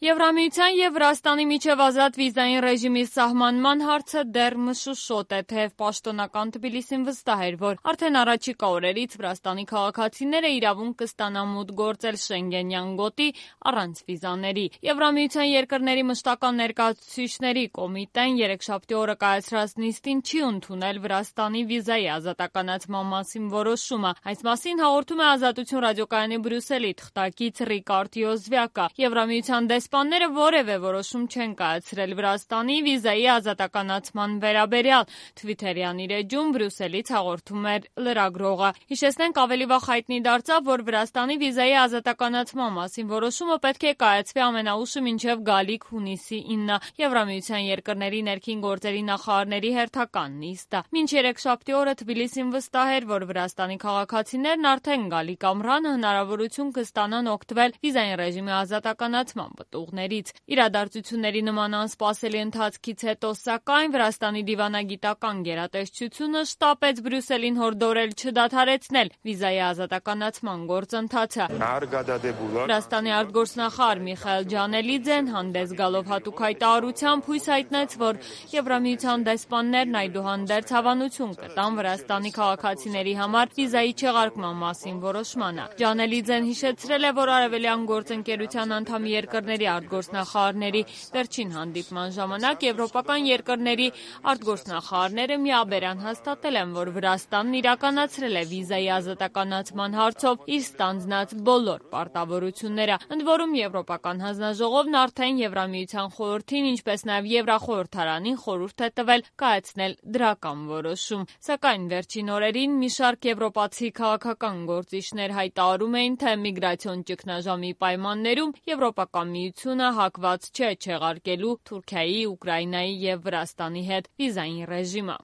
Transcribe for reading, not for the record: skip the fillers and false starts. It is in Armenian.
Եվրամիության և Վրաստանի միջև ազատ վիզային ռեժիմի սահմանման հարցը դեռ մշուշոտ է, թեև պաշտոնական Թբիլիսին վստահ էր, որ արդեն առաջիկա օրերից Վրաստանի քաղաքացիները իրավունք կստանան մուտք գործել Շենգենյան գոտի առանց վիզաների։ Եվրամիության երկրների մշտական ներկայացուցիչների կոմիտեն երեքշաբթի օրը կայացրած նիստին չի ընդունել Վրաստանի վիզայի ազատականացման մասին որոշումը։ Այս մասին հաղորդում է Ազատություն ռադիոկայանի Բրյուսելի թղթակից Ռիկարդ Յոզվյակը։ Եվրամիության դեսպանները որևէ որոշում չեն կայացրել Վրաստանի վիզայի ազատականացման վերաբերյալ։ Թվիթերյան իր էջում Բրյուսելից հաղորդում էր լրագրողը։ Հիշեցնենք, ավելի վաղ հայտնի դարձավ, որ Վրաստանի վիզայի ազատականացման մասին որոշումը պետք է կայացվի ամենաուշը մինչև գալիք հունիսի 9 Եվրամիության երկրների ներքին գործերի նախարարների հերթական նիստը։ Մինչ երեքշաբթի օրը Թբիլիսին վստահ էր, որ Վրաստանի քաղաքացիներն արդեն գալիք ամռանը հնարավորություն կստանան օգտվել վիզային ռեժիմի ազատականացման պտուղներից։ Իրադարձությունների նման անսպասելի ընթացքից հետո, սակայն, Վրաստանի դիվանագիտական գերատեսչությունը շտապեց Բրյուսելին հորդորել չդադարեցնել վիզայի ազատականացման գործընթացը։ Վրաստանի արտգործնախարար Միխայել Ջանելիձեն հանդես գալով հատուկ հայտարարությամբ հույս հայտնեց, որ Եվրամիության դեսպաններն այդուհանդերձ հավանություն կտան Վրաստանի քաղաքացիների համար վիզայի չեղարկման մասին որոշմանը։ Ջանելիձեն հիշեցրել է, որ Արևելյան գործընկերության անդամ երկրների արտգործնախարարների վերջին հանդիպման ժամանակ եվրոպական երկրների արտգործնախարարները միաբերան հաստատել են, որ Վրաստանն իրականացրել է վիզայի ազատականացման հարցով իր ստանձնած բոլոր պարտավորությունները։ Ընդ որում, Եվրոպական հանձնաժողովն արդեն Եվրամիության խորհրդին, ինչպես նաև Եվրախորհրդարանին խորհուրդ է տվել կայացնել դրական որոշում։ Սակայն վերջին օրերին մի շարք եվրոպացի քաղաքական գործիչներ հայտարարում էին, թե միգրացիոն ճգնաժամի պայմաններում Եվրոպական միությունը հակված չէ չեղարկելու Թուրքիայի, Ուկրաինայի և Վրաստանի հետ վիզային ռեժիմը։